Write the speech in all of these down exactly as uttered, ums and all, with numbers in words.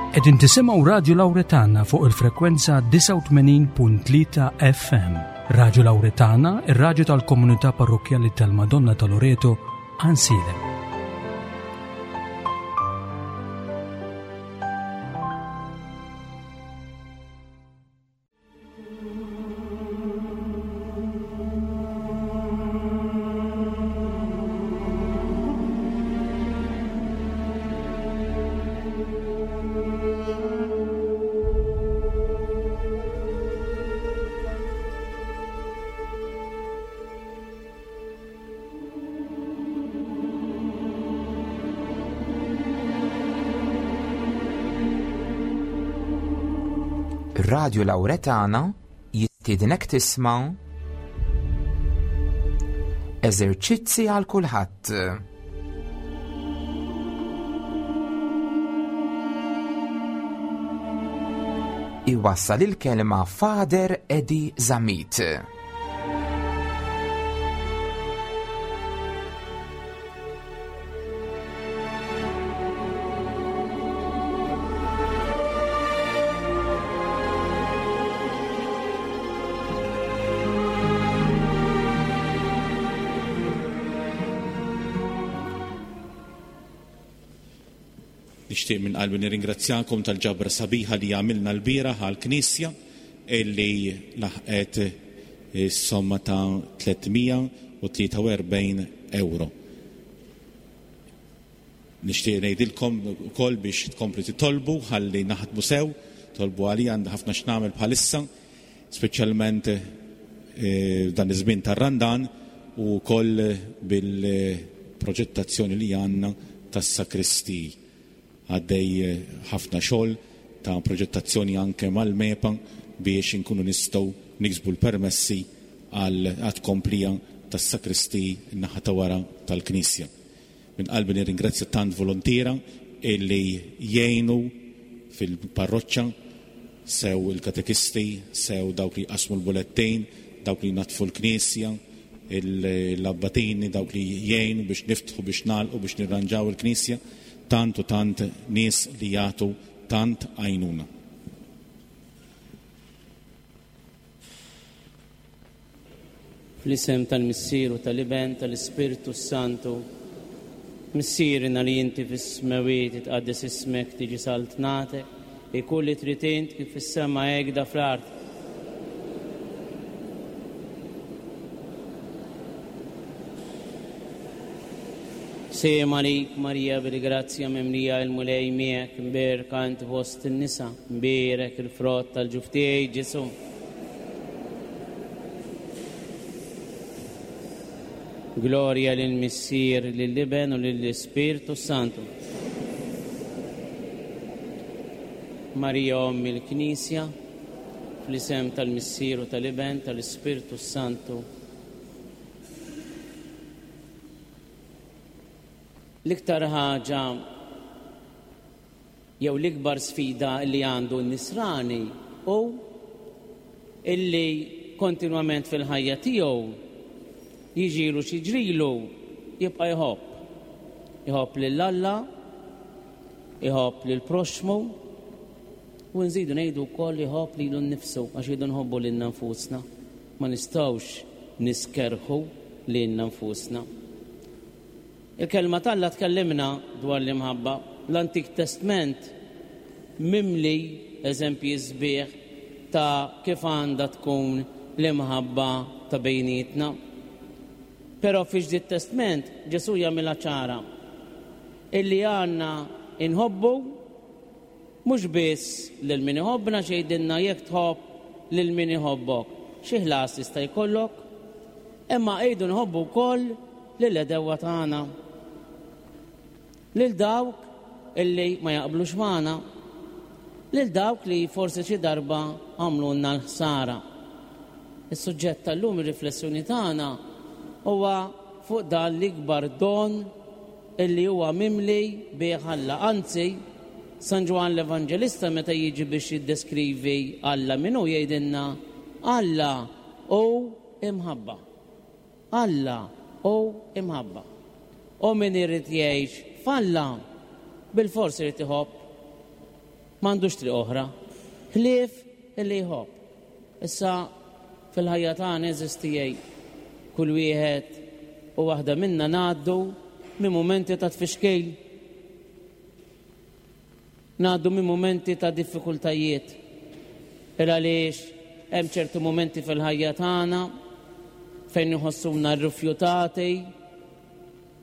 Qegħdin tisimgħu Radio Lauretana fuq il-frekwenza disgħa u tmenin punt tlieta F M. Radio Lauretana, ir-radju tal-Komunità Parrokkjali tal-Madonna ta' Loreto, Għajnsielem. Radio Lauretana jistiednek tisma' eżerċizzi għal kulħadd. Iwassal il-kelma Father Eddie Zammit. Nixtieq minn qalbi nirringrazzjakom tal-ġabra sabiħa li għamilna l-bieraħ għall-Knisja illi laħqet is-somma ta' tliet mija u tlieta u erbgħin euro. Nixtieq ngħidilkom ukoll biex tkomplu titolbu ħalli naħdmu sew, tolbu għalija, għandi ħafna x'nagħmel bħalissa, speċjalment, eh, dan iż-żmien tar-Randan u wkoll bil-proġettazzjoni li għandna tas-sakristiji. Għaddej ħafna xogħol ta' proġettazzjoni anke mal-MEPA biex inkunu nistgħu niksbu l-permessi għal tkomplija tas-sakristiji n-naħa ta' wara tal-Knisja. Minn qalbi nirringrazzja tant volontiera illi jgħinu fil-parroċċa, sew il-katekisti, sew dawk li jqasmu l-bulettejn, dawk li jnaddfu l-Knisja, l-abbatini, dawk li jgħinu biex niftħu, biex nagħlqu, biex nirranġaw il-Knisja. Tant u tant nies li jagħtu tant għajnuna. Fl-isem tal-Missier u tal-Iben tal-Ispirtu Santu, Missierna li inti fis-smewwiet, titqaddes ismek, tiġi saltnatek, ikun li trid int kif fis-sema hekk da fl-art. Sejjem għalik Marija bil-grazzja mimlija il-Mulej miegħek, imbierka int fost in-nisa, imbierek il-frott tal-ġuf tiegħek Ġesu. Gloria lill-Missier, lill-Iben u lill-Ispirtu Santu. Marija Omm il-Knisja, fl-isem tal-Missier u tal-Iben tal-Ispirtu Santu. L-iktar ħaġa jew l-ikbar sfida li għandu n-nisrani hu illi kontinwament fil-ħajja tiegħu jiġilu xi ġrilu jibqa' jħobb. Jħobb lil Alla, jħobb lil proxxmu u nżidu ngħidu wkoll jħobb lilu nnifsu għax jridu nħobbu lilna nfusna. Ma nistgħux niskerħu lilna nfusna. Il-kelma t'Alla tkellimna dwar l-imħabba. L-Antik Testament mimli eżempji sbieħ ta' kif għandha tkun l-imħabba ta' bejnietna. Però fi Ġdid Testament Ġesu jagħmilha ċara illi għandna inħobbu mhux biss lil min iħobbna, xejdinna jekk tħobb lil min iħobbok. Xi ħlas jista' jkollok, imma ejdu nħobbu wkoll lil għedewwa tagħna, lil dawk illi ma jaqblux magħna, lil dawk li forsi xi darba għamlulna l-ħsara. Is-suġġett tal-lum, ir-riflessjoni tagħna huwa fuq dan l-ikbar don illi huwa mimli bih Alla. Anzi, San Ġwann l-Evanġelista meta jiġi biex jiddeskrivi Alla min hu jgħidilna Alla hu imħabba. Alla hu imħabba. U min irid jgħix f'Alla bil-fors irid iħobb. M'għandux triq oħra. Ħlief illi jħobb. Issa fil-ħajja tagħna, għeżież tiegħi, kull wieħed u waħda minna ngħaddu minn mumenti ta' tfixkil. Ngħaddu minn mumenti ta' diffikultajiet. Il għaliex hemm ċertu mumenti fil-ħajja tagħna fejn nħossuna rrifjutati,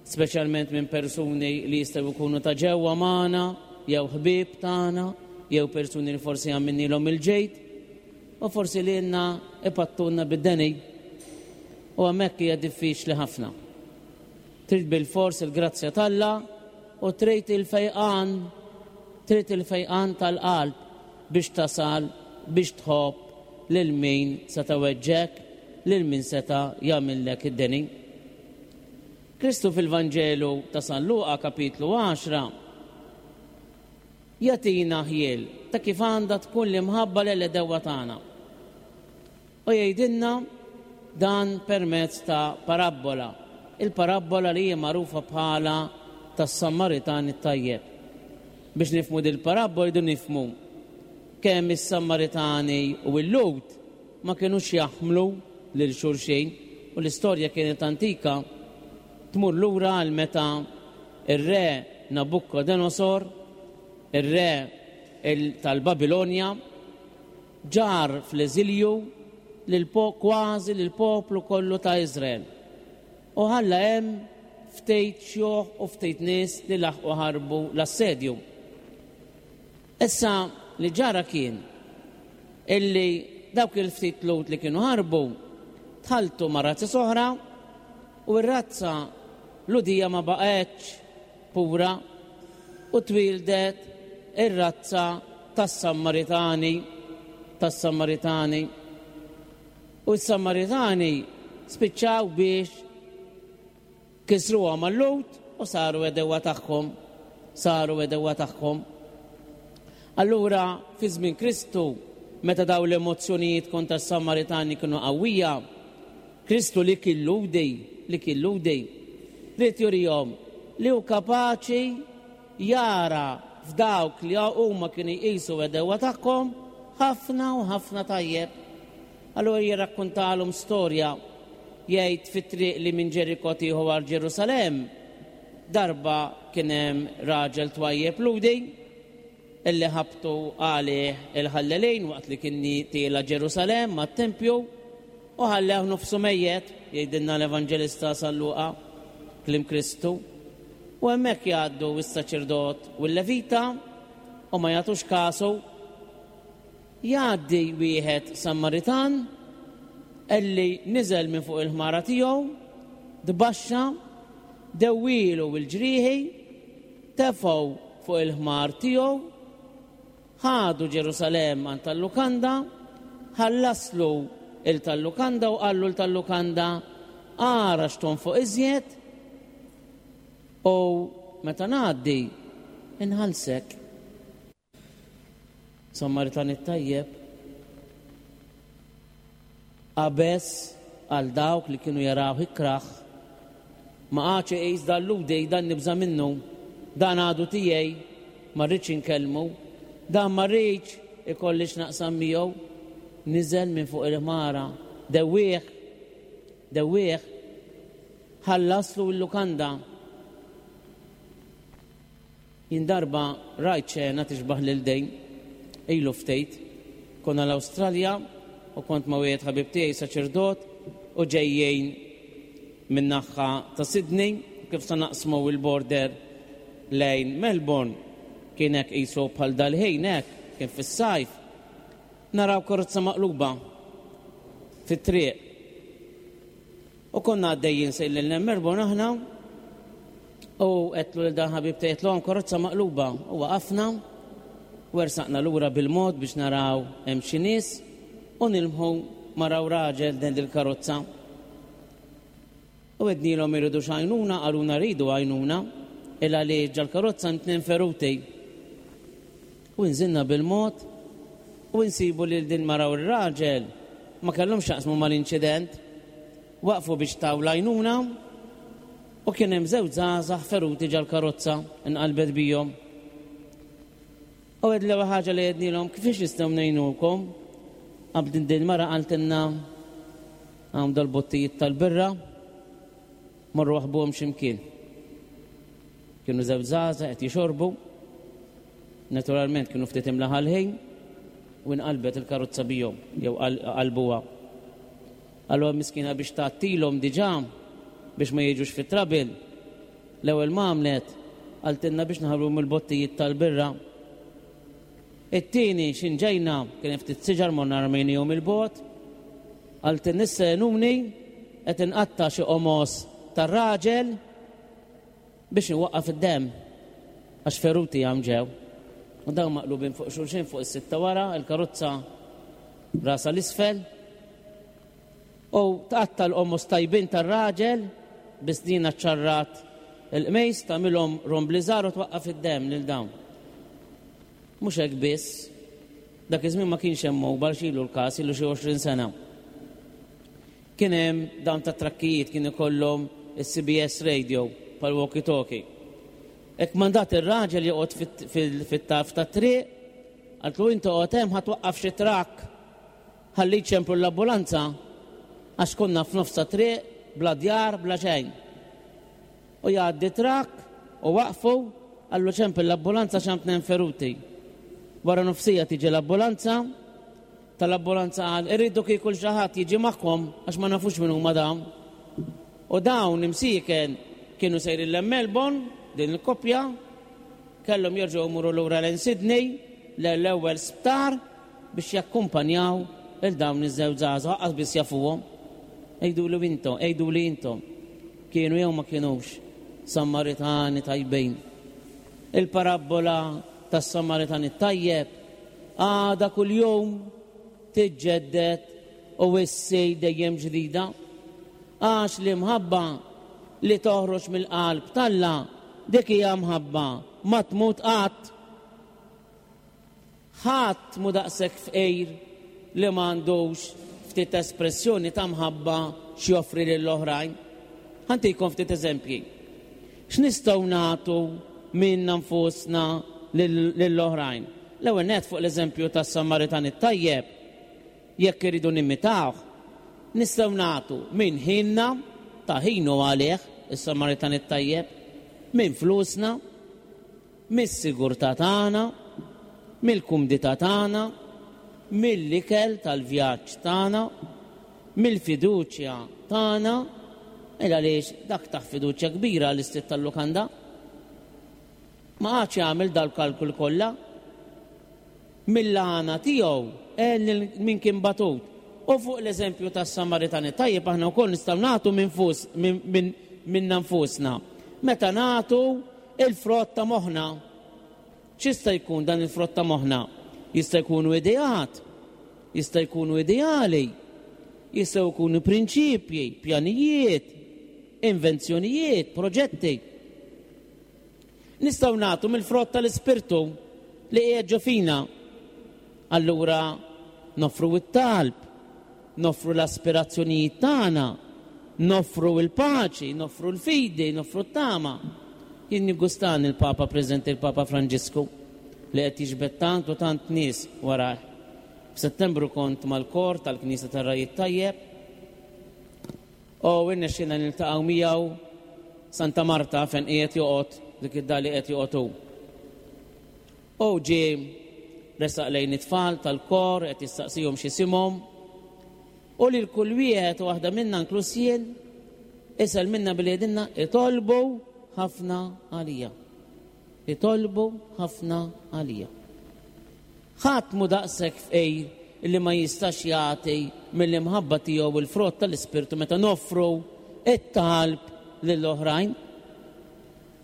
speċjalment minn persuni li jistgħu jkunu ta' ġewwa magħna, jew ħbieb tagħna, jew persuni li forsi għamilnielhom il-ġid, u forsi li lilna ipattuna bid-deni. U hemmhekk hija diffiċli ħafna. Trid bil-fors il-grazzja t'Alla u trid il-fejqan, trid il-fejqan tal-qalb biex tasal biex tħobb lil min seta' weġġgħek, lil min seta' jagħmillek id-deni. Kristu fil-Vanġelu ta' San Luqa kapitlu għaxra jagħtina ħjiel ta' kif għandha tkun l-imħabba l-għedewwa tagħna. U jgħidilna dan permezz ta' parabbola, il-parabbola li hija magħrufa bħala tas-Sammaritan it-tajjeb. Biex nifhmu dil-parabbola jdu nifhmu kemm is-Sammaritani u l-Lhud ma kinux jaħmlu lil xulxin, u l-istorja kienet antika, tmur lura għal meta ir-re Nabucodonosor, ir-re tal-Babilonja, ġar fl-eżilju lil kważi lil poplu kollu ta' Izrael. U ħalla hemm ftit xjuħ u ftit nies li laħqu ħarbu l-assedju. Issa li ġara kien illi dawk il-ftit Lhud li kienu ħarbu tħaltu ma' razzi oħra u r-razza Lhudija ma baqgħetx pura u twildet ir-razza tas-Sammaritani, tas-Sammaritani. U s-Sammaritani spiċċaw biex kisruha mal-Lhud u saru għedewwa tagħhom, saru għedewwa tagħhom. Allura fi żmien Kristu, meta daw l-emozzjonijiet kontra s-Sammaritani kienu qawwija, Kristu li kien Lhudi, li kien Lhudi, ried jurihom li hu kapaċi jara f'dawk li huma kienu jqisu għedewwa tagħhom ħafna u ħafna tajjeb. Allura jirrakkontalhom storja, jgħid fit-triq li minn Ġeriko tieħu għal Ġerusalemm, darba kien hemm raġel twajjeb Lhudi illi ħabtu għalih il-ħallelin waqt li kien tiela' Ġerusalemm mat-tempju u ħallew nofsu mejjet, jgħidilna l-Evanġelista San Luqa, kliem Kristu. U hemmhekk jgħaddu s-saċerdot u l-levita u ma jagħtux kasu. Jgħaddi wieħed Sammaritan illi niżel minn fuq il-ħmara tiegħu, tbaxxa, dewwielu l-ġrieħi, tefgħu fuq il-ħmar tiegħu, ħadu Ġerusalemm għand tal-lukanda, ħallaslu il tal-lukanda u qallu l-tal-lukanda ara x'tonfoq iżjed u meta ngħaddi inħallsek. Sammaritan it-tajjeb qabeż għal dawk li kienu jaraw ikraħ, ma qagħadx iqis dal-Lhudi, dan nibża' minnu, dan għadu tiegħi, ma rridx inkellmu, dan ma rridx ikolli x'naqsam miegħu. Niżel minn fuq il-ħmara, dewwieħ, dewwieħ, ħallaslu l-lukanda. Jien darba rajt xena tixbaħ lil dejn, ilu ftit, konna l-Awstralja u kont ma' wieħed ħabib tiegħi saċerdot u ġejjin minn naħa ta' Sydney, kif sa naqsmu il-border lejn Melbourne, kien hekk qisu bħal dal-ħin hekk, kien fis-sajf. Naraw karozza maqluba fit-triq. U konna għaddejjin sejrin lejn Melbourne aħna u għedtlu lil dan ħabib tiegħi, għedtlu karozza maqluba, u waqafna u ersaqna lura bil-mod biex naraw hemm xi nies u nilmħu naraw raġel din il-karozza. U għednielhom iridu x'għajnuna, qalulna rridu għajnuna, illa li ġal-karozza tnejn feruti. U nżilna bil-mod u nsibu li din mara u r-raġel ma kellhom x'jaqsmu mal-inċident, waqfu biex taw l-għajnuna u kien hemm żewġ żgħażagħ feruti ġal-karozza inqalbet bihom. U għed l-ewwel ħaġa li għednilhom kif nistgħu ngħinukom? Qabdin din mara qaltilna hawn dal-bottijiet tal-birra morru waħbuhom x'imkien. Kienu żewġ żgħażagħ qed jixorbu. Naturalment kienu ftit imlaħal ħin u nqalbet il-karozza bihom jew qalbuha. Allura miskina biex tgħattilhom diġà biex ma jiġux fit-trabil. L-ewwel ma għamlet qaltilna biex naħarbu mill-bottijiet tal-birra. It-tieni x'inġejna kien ftit siġar morna rmejnihom il-bot. Qaltilna issa għenuni qed inqatta' xi qomos tar-raġel biex nwaqqaf id-demm għax feruti għam ġew. U dawn maqlubin fuq xulxin fuq is-sitta wara, il-karozza rasa l-isfel. U tqatta' l-qomos tajbin tar-raġel biss dina ċarrat il-qmejs tagħmilhom rombli żgħar u twaqqaf id-demm lil dawn. Mhux hekk biss, dak iż-żmien ma kienx hemm mobile xilu l-każ ilu xi għoxrin sena. Kien hemm dawn ta' trakkijiet kien ikollhom is-C B S radio pal walkie-talkie. Hekk mandat ir-raġel joqgħod fit-tarf tat-triq, qaltlu inti oqgħod hemm ħa twaqqaf xi trakk ħalli jċemplu l-ambulanza għax konna f'nofs ta' triq bla djar bla xejn. U jgħaddi trakk u waqfu qallu ċempel l-ambulanza x'hemm tnejn feruti. Wara nofsija tiġi l-ambulanza, tal-ambulanza qal irridu kieku xi ħadd jiġi magħhom għax ma nafux min huma dawn. U dawn imsieken kienu sejrin lejn Melbourne, din il-koppja, kellhom jerġgħu jmorru lura lejn Sydney, l-ewwel sptar biex jakkumpanjaw il dawn iż-żewġ żgħażagħ lanqas biss jafuhom. Għidulu intom, għiduli intom, kienu jew ma kienux Samaritani tajbin. Il-parabbola tas-Samaritan it-tajjeb għadha kuljum tiġġedded u issir dejjem ġdida. Għax l-imħabba li toħroġ mill-qalb t'Alla dik hija mħabba ma tmut qatt. Ħadd mu daqshekk fqir li m'għandux ftit espressjoni ta' mħabba x'joffri lill-oħrajn. Ħantikom ftit eżempji. X'nistgħu nagħtu minna nfusna lill-oħrajn? L-ewwel nett fuq l-eżempju tas-Samaritan it-tajjeb, jekk iridu nimitawh, nistgħu nagħtu minn ħinna, ta' ħinu għalih is-Samaritan it-tajjeb, minn flusna, mis-sigurtà tagħna, mill-kumdità tagħna, mill-ikel tal-vjaġġ tagħna, mill-fiduċja tagħna, il għaliex dak taħ fiduċja kbira l-istit tal-lukanda. Ma għadx jagħmel dal-kalkul kollha. Mill-għana tiegħu għen lil min kien batut. U fuq l-eżempju tas-Samaritani tajjeb aħna wkoll nistgħu nagħtu minn fus-, minn, minn, minna nfusna. Meta nagħtu il-frott ta' moħħna. X'jista' jkun dan il-frott ta' moħħna? Jista' jkunu ideat, jista' jkunu ideali, jistgħu jkunu prinċipji, pjanijiet, invenzjonijiet, proġetti. Nistgħu nagħtu mill-frott tal-Ispirtu li qiegħed ġo fina. Allura noffru t-talb, noffru l-aspirazzjonijiet tagħna, noffru l-paċi, noffru l-fidi, noffru t-tama. Jien niggustan il-Papa preżenti, il-Papa Franġisku, li qed jiġbed tant u tant nies warah. F'Settembru kont mal-kor tal-Knisja tar-Ragħaj Tajjeb u irnexxielna niltaqgħu miegħu Santa Marta fejn qiegħed joqgħod, dik id-dar li qed joqgħod hu. U ġie resaq lejn it-tfal tal-kor qed jistaqsihom x'isimhom u lil kull wieħed u waħda minna inkluż jien isel minna billi jgħidilna itolbu ħafna għalija. Itolbu ħafna għalija. Ħadd mu daqshekk fqir li ma jistax jagħti mill-imħabba tiegħu il-frott tal-Ispirtu meta noffru it-talb lill-oħrajn.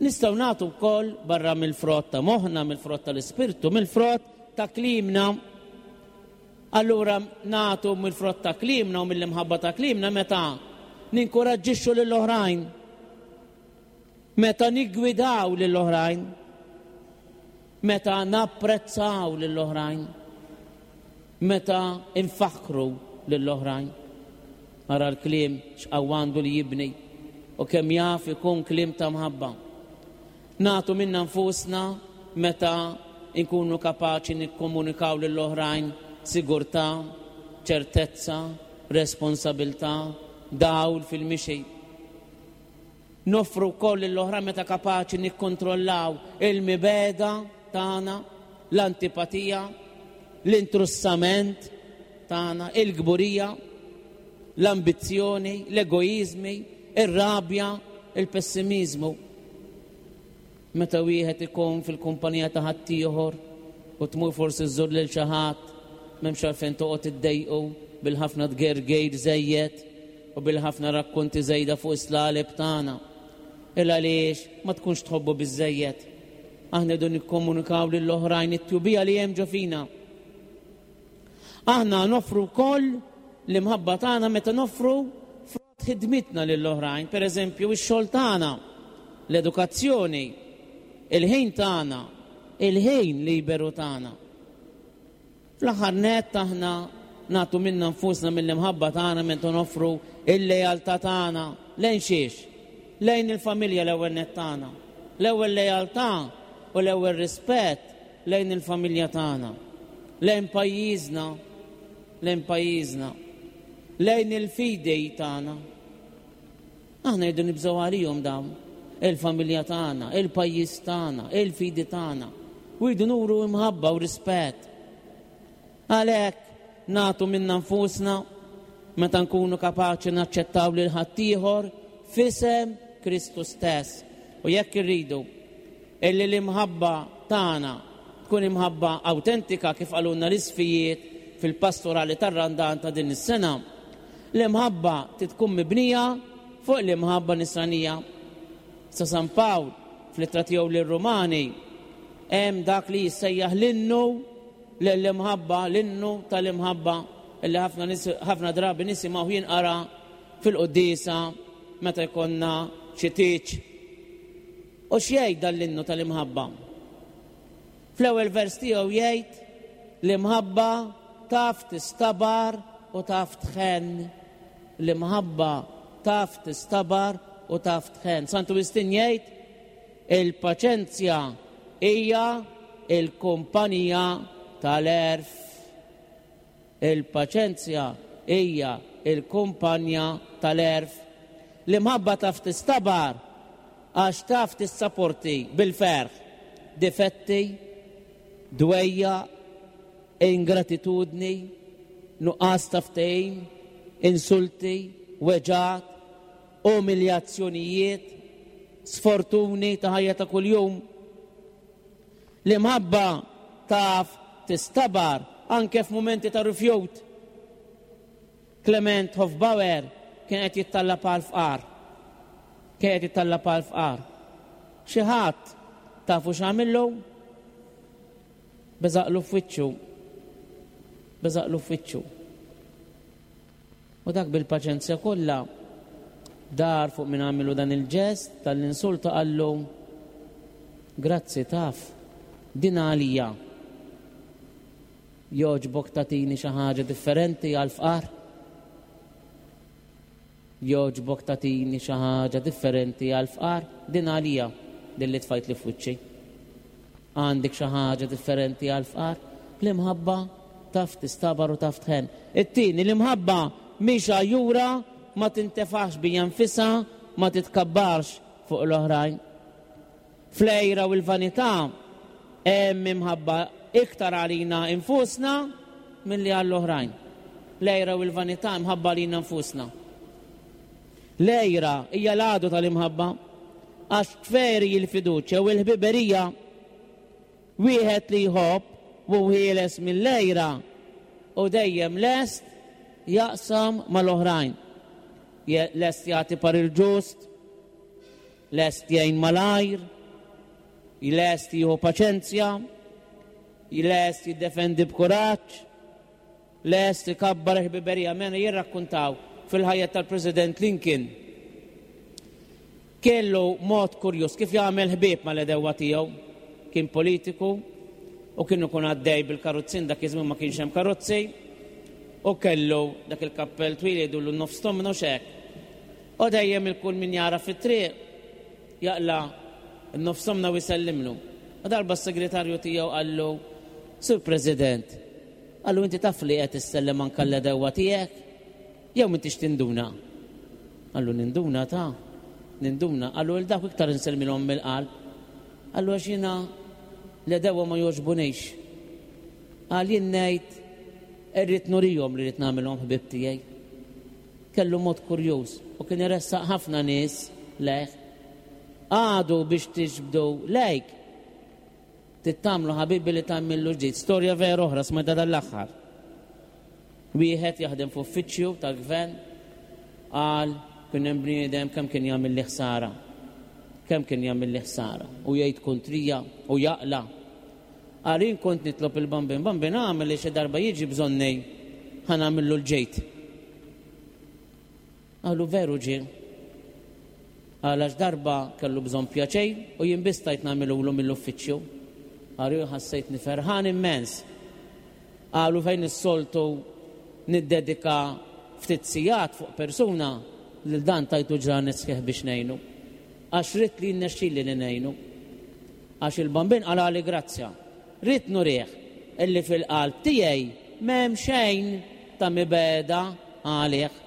Nistgħu nagħtu wkoll barra mill-frott ta' moħħna, mill-frott tal-Ispirtu, mill-frott ta' klimna. Allura nagħtu mill-frott ta' klimna u mill-imħabba ta' klimna meta ninkoraġġixxu lill-oħrajn, meta niggwidaw lill-oħrajn, meta napprezzaw lill-oħrajn, meta nfakkru lill-oħrajn. Ara l-kliem x'qawwandu li jibni u kemm jaf ikun kliem ta' mħabba. Nagħtu minna nfusna meta nkunu kapaċi nikkomunikaw lill-oħrajn sigurtà, ċertezza, responsabilità, dawl fil-mixi. Noffru wkoll lill-oħrajn meta kapaċi nikkontrollaw il-mibegħda tagħna, l-antipatija, l-intrussament tagħna, il-kburija, l-ambizzjoni, l-egoizmi, ir-rabja, il-pessimizmu. Meta wieħed ikun fil-kumpanija ta' ħaddieħor u tmur forsi żżur lil xi ħadd, m'hemmx għalfejn toqgħod iddejqu bil-ħafna tgergejr żejjed u bil-ħafna rakkonti żejda fuq is-slaleb tagħna. Il għaliex ma tkunx tħobbu biżejjed. Aħna rridu nikkomunikaw lill-oħrajn it-tjubija li hemm ġo fina. Aħna noffru wkoll l-imħabba tagħna meta noffru frott ħidmitna lill-oħrajn, pereżempju ix-xogħol tagħna, l-edukazzjoni, il-ħin tagħna, il-ħin liberu tagħna. Fl-aħħar nett aħna nagħtu minna nfusna mill-imħabba tagħna meta noffru il-lealtà tagħna lejn xiex? Lejn il-familja l-ewwel nett tagħna. L-ewwel lealtà u l-ewwel rispett lejn il-familja tagħna. Lejn pajjiżna, lejn pajjiżna, lejn il-fidi tagħna. Aħna jridu nibżgħu għalihom dawn, il-familja tagħna, il-pajjiż tagħna, il-fidi tagħna. U jridu nuru imħabba u rispett. Għalhekk nagħtu minna nfusna meta nkunu kapaċi naċċettaw lil ħaddieħor f'isem Kristu stess. U jekk irridu illi l-imħabba tagħna tkun imħabba awtentika kif qalulna l-isqfijiet fil-pastorali tar-Randan ta' din is-sena, l-imħabba tkun mibnija fuq l-imħabba nisranija. Sa San Pawl fl-ittra tiegħu lir-Rumani hemm dak li jissejjaħ l-innu l-imħabba, l-innu tal-imħabba illi ħafna ħafna drabi nisimgħu jinqara fil-quddiesa meta jkollna xi tieġ. U x'jgħid dan l-innu tal-imħabba? Fl-ewwel vers tiegħu jgħid l-imħabba taf tistabar u taf tħenn. L-imħabba taf tistabar u taf tħenn. Santu Wistin jgħid il-paċenzja hija il-kumpanija tal-għerf. Il-paċenzja hija il-kumpanja tal-għerf. L-imħabba taf tistabar għax taf tissaporti bil-ferħ difetti, dwejja, ingratitudni, nuqqas ta' ftehim, insulti, weġgħat, umiljazzjonijiet, sfortuni ta' ħajja ta' kuljum. L-imħabba taf tistabar anke f'mumenti ta' rifjut. Clement Hofbauer kien qed jittallab għal fqar. Kien qed jittallab għal fqar. Xi ħadd tafu x'għamillu? Beżaqlu f'wiċċu. Beżaqlu f'wiċċu. U dak bil-paċenzja kollha dar fuq min għamillu dan il-ġest tal-insulta qallu grazzi taf, din għalija. Jogħġbok tagħtini xi ħaġa differenti għal-fqar? Jogħġbok tagħtini xi ħaġa differenti għal-fqar? Din għalija, din li tfajt li f'wiċċi. Għandek xi ħaġa differenti għal-fqar? L-imħabba taf tistabar u taf tħenn. It-tieni, l-imħabba mhix għajjura, ma tintefax bija nfisha, ma titkabbarx fuq l-oħrajn. Fl-għira u l-vanità hemm imħabba iktar għalina infusna milli għall-oħrajn. L-għira u l-vanità imħabba għalina nfusna. L-għira hija l-għadu tal-imħabba għax tferi l-fiduċja u l-ħbiberija. Wieħed li jħobb u ħieles mill-għira u dejjem lest jaqsam mal-oħrajn. Lest jagħti parir ġust, lest jgħin malajr, lest jieħu paċenzja, lest jiddefendi b'kuraġġ, lest ikabbar ħbiberija. Mena jirrakkuntaw fil-ħajja tal-President Lincoln. Kellu mod kurjus kif jagħmel ħbieb mal-għedewwa tiegħu. Kien politiku u kien ikun għaddej bil-karozzin, dak iż-żmien ma kienx hemm karozzi, u kellu dak il-kappell twil jgħidulu nofs tomnu xek. U dejjem il-kull min jara fit-triq jaqla' n-nofs tomna u jsellimlu. U darba s-segretarju tiegħu qallu, Sur President, qallu inti taf li qed issellem anke l-għedewwa tiegħek? Jew m'intix tinduna? Qallu ninduna ta' ninduna. Qallu 'l dawk iktar insellmilhom mill-qalb. Qallu għax jiena l-għedewwa ma jogħġbunix. Qal jien ngħid irrid nurihom li rrid nagħmilhom ħbieb tiegħi. Kellu mod kurjuż u kien iressaq ħafna nies lejh. Għadu biex tiġbdu lejk. Tittamlu ħabibi li tagħmillu ġdid. Storja vera oħra smajta dal-aħħar. Wieħed jaħdem f'uffiċċju tal-gvern qal kien hemm bniedem kemm kien jagħmel li ħsara. Kemm kien jagħmel li ħsara u jgħid kontrija u jaqla. Qal jien kont nitlob il-Bambin, Bambin għamel li xi darba jiġi bżonni ħa nagħmillu l-ġejt. Qalu veru ġie. Qal għax darba kellu bżonn pjaċej u jien biss stajt nagħmilulu mill-uffiċċju. Qalu ħassejtni ferħan immens. Qalu fejn is-soltu niddedika ftit sigħat fuq persuna lil dan tajtu ġranet sħiħ biex ngħinu. Għax ridt li jinnexxili li ngħinu. Għax il-Bambin qalali grazzja. Ridt nurih illi fil-qalb tiegħi m'hemm xejn ta' mibegħda għalih.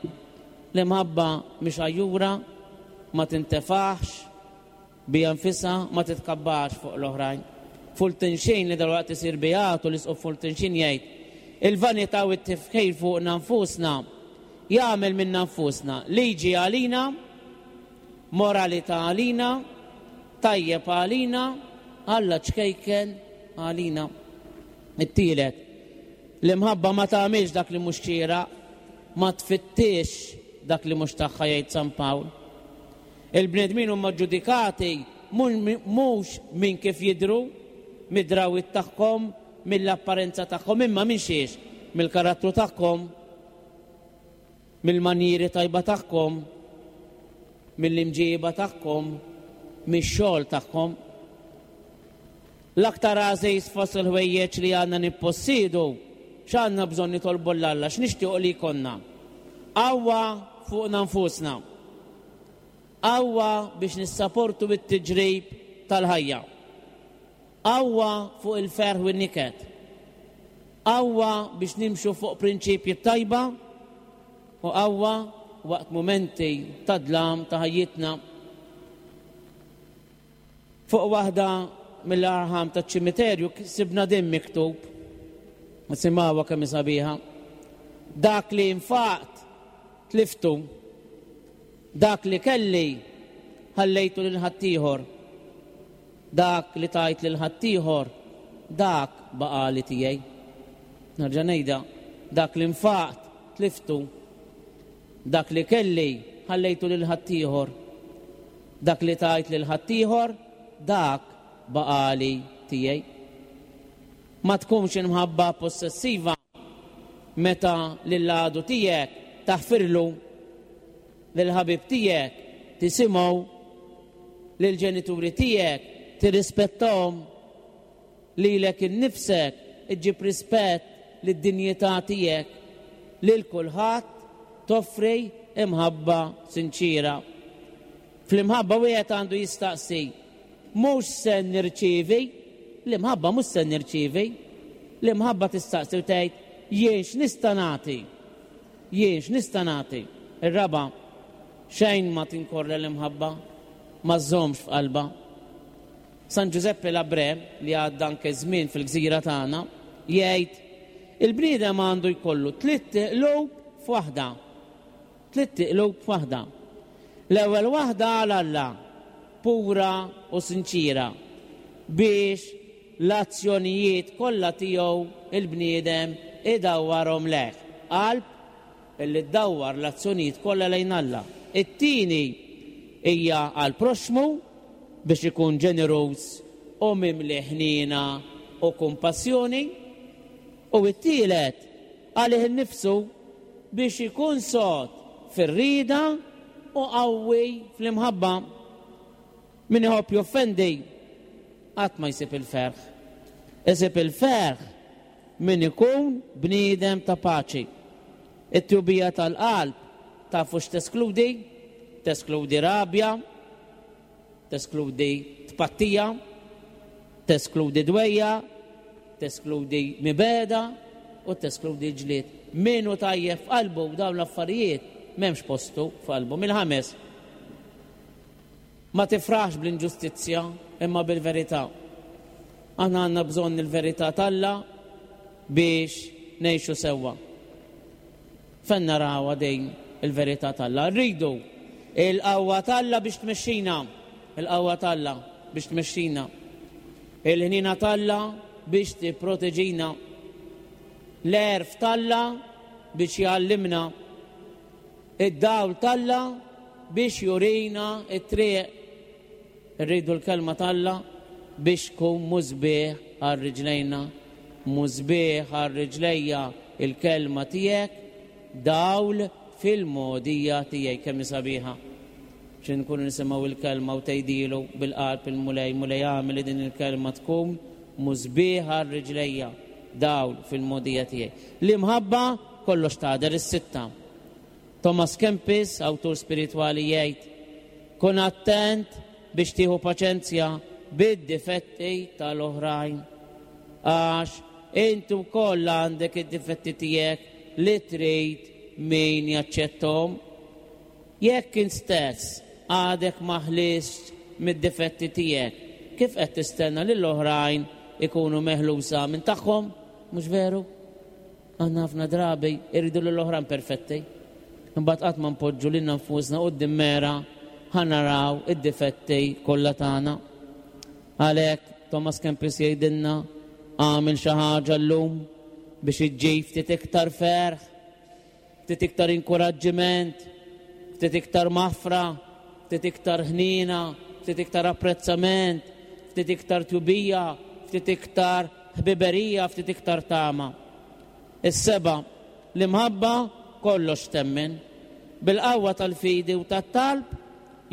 L-imħabba mhix għajjura, ma tintefaħx, bija nfisha ma titkabbarx fuq l-oħrajn. Fulton Sheen li dalwaqt isir beatu l-isqof Fulton Sheen jgħid, il-vanità u t-tifħir fuqna nfusna jagħmel minna nfusna liġi għalina, moralità għalina, tajjeb għalina, Alla ċkejken għalina. It-tielet, l-imħabba ma tagħmilx dak li mhux xieraq, ma tfittix dak li mhux tagħha jgħid San Pawl. Il-bnedmin huma ġudikati mhux minn kif jidhru, mid-drawwiet tagħhom, mill-apparenza tagħhom, imma minn xiex, mill-karattru tagħhom, mill-manjieri tajba tagħhom, mill-imġiba tagħhom, mix-xogħol tagħhom. L-aktar għażiż fost il-ħwejjeġ li għandna nippossiedu, x'għandna bżonn nitolbu 'l Alla, x'nixtiequ li jkollna? Qawwa fuqna nfusna. Qawwa biex nissaportu bit-tiġrib tal-ħajja. Qawwa fuq il-ferħ u n-niket. Qawwa biex nimxu fuq prinċipji tajba u qawwa waqt mumenti ta' dlam ta' ħajjitna. Fuq waħda mill-arħam ta' ċimiterju sibna din miktub. Nisimgħuha kemm sabiħa. Dak li infaqt tliftu, dak li kelli ħallejtu lil ħaddieħor, dak li tajt lil ħaddieħor, dak baqali tiegħi. Nerġa' ngħidha, dak li nfaqt tliftu, dak li kelli ħallejtu lil ħaddieħor, dak li tajt lil ħaddieħor, dak baqali tiegħi. Ma tkunx imħabba possessiva meta lill-għadu tiegħek taħfirlu, lill-ħabib tiegħek tisimgħu, lill-ġenituri tiegħek tirrispettahom, lilek innifsek iġġib rispett lid-dinjità tiegħek, lil kulħadd toffri imħabba sinċira. Fl-imħabba wieħed għandu jistaqsi, mhux se nirċievi, l-imħabba mhux se nirċievi, l-imħabba tistaqsi u tgħid jien x'nista' nagħti, jien x'nista' nagħti. Ir-raba', xejn ma tinkorre l-imħabba, ma żżommx f'qalba. San Giuseppe Labre, li għadda anke żmien fil-gżira tagħna, jgħid il-bniedem għandu jkollu tliet qlub f'waħda. Tliet qlub f'waħda. L-ewwel waħda għal Alla, pura u sinċira, biex l-azzjonijiet kollha tiegħu il-bniedem idawwarhom lejh. Qalb illi ddawwar l-azzjonijiet kollha lejn Alla. It-tieni hija għal proxmu biex ikun ġeneruż u mimli ħniena u kumpassjoni. U t-tielet għalih innifsu biex ikun sod fir-rieda u qawwi fl-imħabba. Min iħobb joffendi qatt ma jsib il-ferħ. Isib il-ferħ min ikun bniedem ta' paċi. It-tjubija tal-qalb tafu x'teskludi? Teskludi rabja, teskludi tpattija, Teskludi dwejjaq, teskludi mibegħda u teskludi ġlied. Min hu tajjeb f'qalbu dawn l-affarijiet m'hemmx postu f'qalbu. Mill-ħames, ma tifraħx bl-inġustizzja imma bil-verità. Aħna għandna bżonn il-verità t'Alla biex ngħixu sewwa. Fejn narawha din il-verità t'Alla? Rridu il-qawwa t'Alla biex tmexxina, il-qawwa t'Alla biex tmexxina. Il-ħniena t'Alla biex tipproteġina. L-għerf t'Alla biex jgħallimna. Id-dawl t'Alla biex jurina it-triq. Irridu l-kelma t'Alla biex tkun musbieħ għal riġlejna. Musbieħ għal riġlejja il-kelma tiegħek, dawl fil-mogħdija tiegħi. Kemm sabiħa. Xi nkunu nisimgħu il-kelma u tgħidilu bil-qalb il-Mulej, Mulej agħmel li din il-kelma tkun musbieħ għal riġlejja, dawl fil-mogħdija tiegħi. L-imħabba kollox tagħder. Is-sitta. Thomas Kempis, awtur spiritwali, jgħid: kun attent biex tieħu paċenzja bid-difetti tal-oħrajn. Għax inti wkoll għandek id-difetti tiegħek li trid min jaċċettom. Jekk int stess għadek ma ħlistx mid-difetti tiegħek, kif qed tistenna lill-oħrajn ikunu meħlusa minn tagħhom? Mhux veru? Aħna ħafna drabi irridu lill-oħrajn perfetti. Imbagħad qatt ma npoġġu lilna nfusna quddiem mera ħa naraw id-difetti kollha tagħna. Għalhekk Thomas Kempis jgħidilna: għamel xi ħaġa llum biex iġġib ftit iktar ferħ, ftit iktar inkoraġġiment, ftit iktar maħfra, ftit iktar ħnina, ftit iktar apprezzament, ftit iktar tjubija, ftit iktar ħbiberija, ftit iktar tama. Is-seba', l-imħabba kollox temmen. Bil-qawwa tal-fidi u tat-talb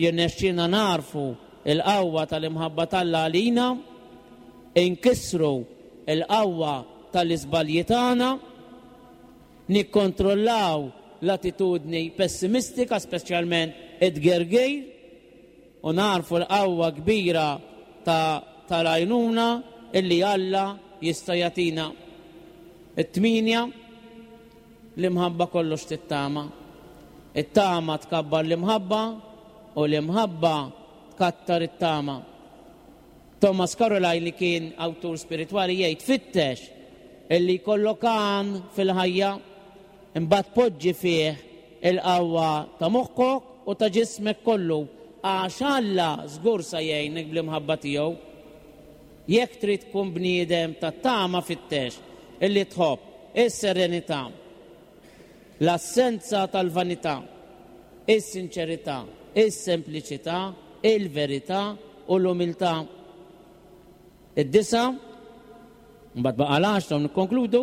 jirnexxina narfu il-qawwa tal-imħabba t'Alla għalina, inkissru il-qawwa tal-iżbalji tagħna, nikkontrollaw l-attitudni pessimistika, speċjalment id-gergir, u narfu l-qawwa kbira ta' tal-għajnuna illi Alla jista' jagħtina. It-tminja, l-imħabba kollox tittama. It-tama tkabbar l-imħabba u l-imħabba tkattar it-tama. Thomas Carlyle, li kien awtur spiritwali, jgħid: fittex illi jkollok għan fil-ħajja, imbagħad poġġi fih il-qawwa ta' moħħok u ta' ġismek kollu, għax Alla żgur sa jgħinek bl-imħabba tiegħu. Jekk trid tkun bniedem ta' tama, fittex illi tħobb is-serenità, l-assenza tal-vanità, is-sinċerità, is-sempliċità, il-verità u l-umiltà. Id-disa', mbagħad baqa' l-għaxra u nikkonkludu,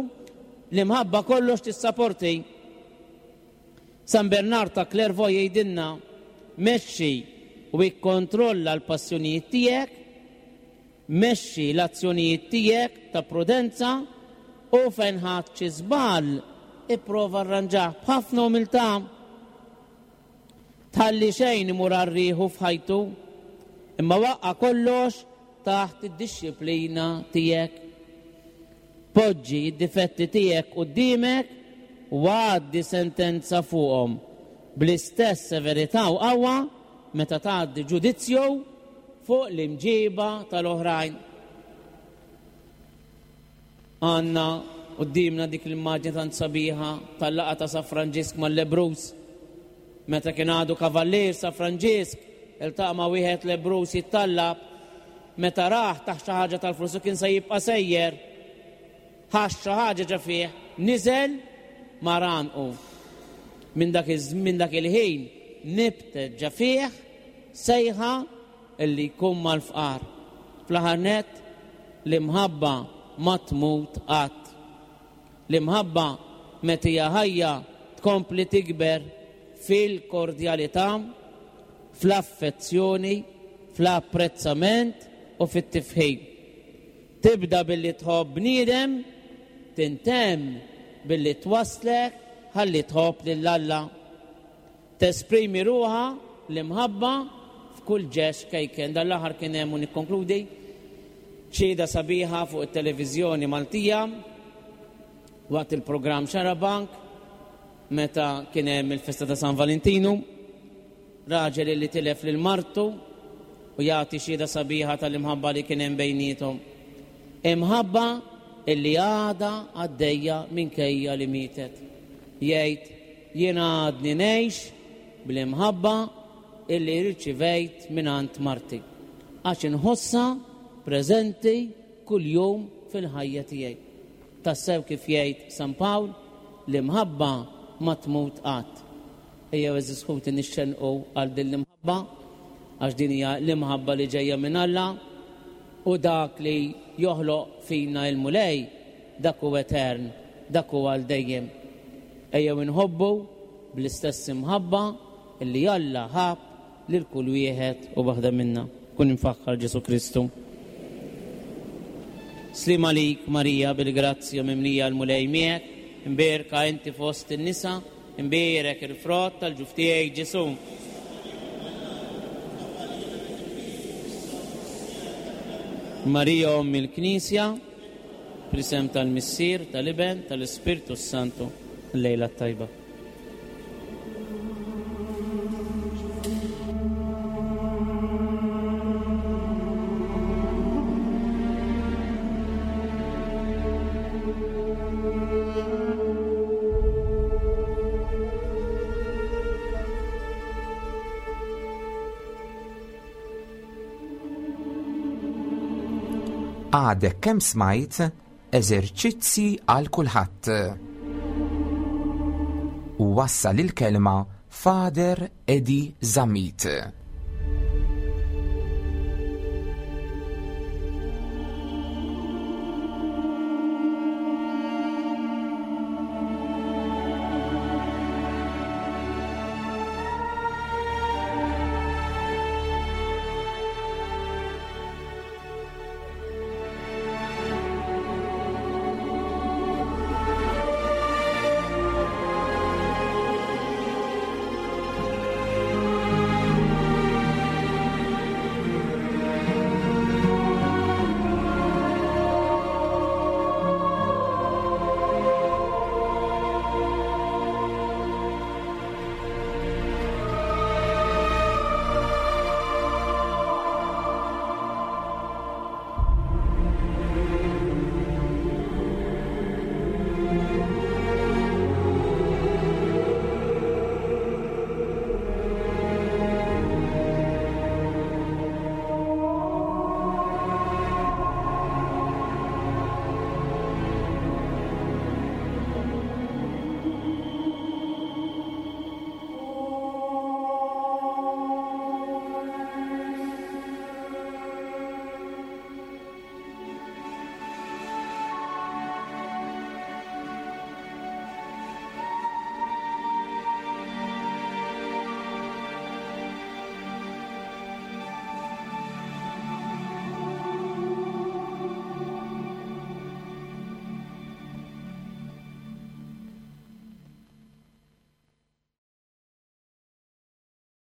l-imħabba kollox tissaporti. San Bernard ta' Clairvaux jgħidilna: mexxi u ikkontrolla l-passjonijiet tiegħek, mexxi l-azzjonijiet tiegħek ta' prudenza u fejn ħadt xi żball ipprova arranġah b'ħafna umiltà. Tħalli xejn imur għar-riħu f'ħajtu, imma waqqa' kollox taħt id-dixxiplina tiegħek. Poġġi id-difetti tiegħek quddiemek u għaddi sentenza fuqhom bl-istess severità u qawwa meta tgħaddi ġudizzju fuq l-imġiba tal-oħrajn. Għandna quddiemna dik l-immaġni tant sabiħa tal-laqgħa ta' San Franġisk mal-lebbruż. Meta kien għadu kavallier San Franġisk, iltaqa' ma' wieħed lebbruż jittallab, meta rah tah xi ħaġa tal-flus u kien se jibqa' sejjer, ħass xi ħaġa ġo fih, niżel mar għannqu. Minn dak minn dak il-ħin nibtet ġo fih sejħa illi jkun mal-fqar. Fl-aħħar nett, l-imħabba ma tmut qatt. L-imħabba meta hija ħajja tkompli tikber fil-kordjalità, fl-affezzjoni, fl-apprezzament u fit-tifħir. Tibda billi tħobb bniedem, tintemm billi twaslek ħalli tħobb lil Alla. Tesprimi ruħha l-imħabba f'kull ġest ċkejken. Dan l-aħħar kien hemm, u nikkonkludi, Xhieda sabiħa fuq it-televiżjoni Maltija waqt il-programm Xarabank meta kien hemm il-festa ta' San Valentinu, raġel li tilef lil martu u jagħti xhieda sabiħa tal-imħabba li kien hemm bejniethom. Imħabba illi għadha għaddejja minkejja li mietet. Jgħid jiena għadni ngħix bl-imħabba illi rċivejt mingħand marti. Għax inħossha preżenti kuljum fil-ħajja tiegħi. Tassew kif jgħid San Pawl, l-imħabba ma tmut qatt. Ejjew għeżież ħuti nixxenqu għal din l-imħabba, għax din hija l-imħabba li ġejja minn Alla, u dak li joħloq fina il-Mulej, dak hu etern, dak hu għal dejjem. Ejjew inħobbu bl-istess imħabba illi Alla ħab lil kull wieħed u waħda minna. Kun imfaħħar Ġesu Kristu. Sliem għalik Marija bil-grazzja mimlija l-Mulej miegħek, imbierka inti fost in-nisa, imbierek il-frott tal-ġuf tiegħek Ġesu. Marija Omm il-Knisja, fl-isem tal-Missier, tal-Iben, tal-Ispirtu s-Santu, l-lejla t-tajba. Għadek kemm smajt eżerċizzi għal kulħadd. U wassal il-kelma Father Eddie Zammit.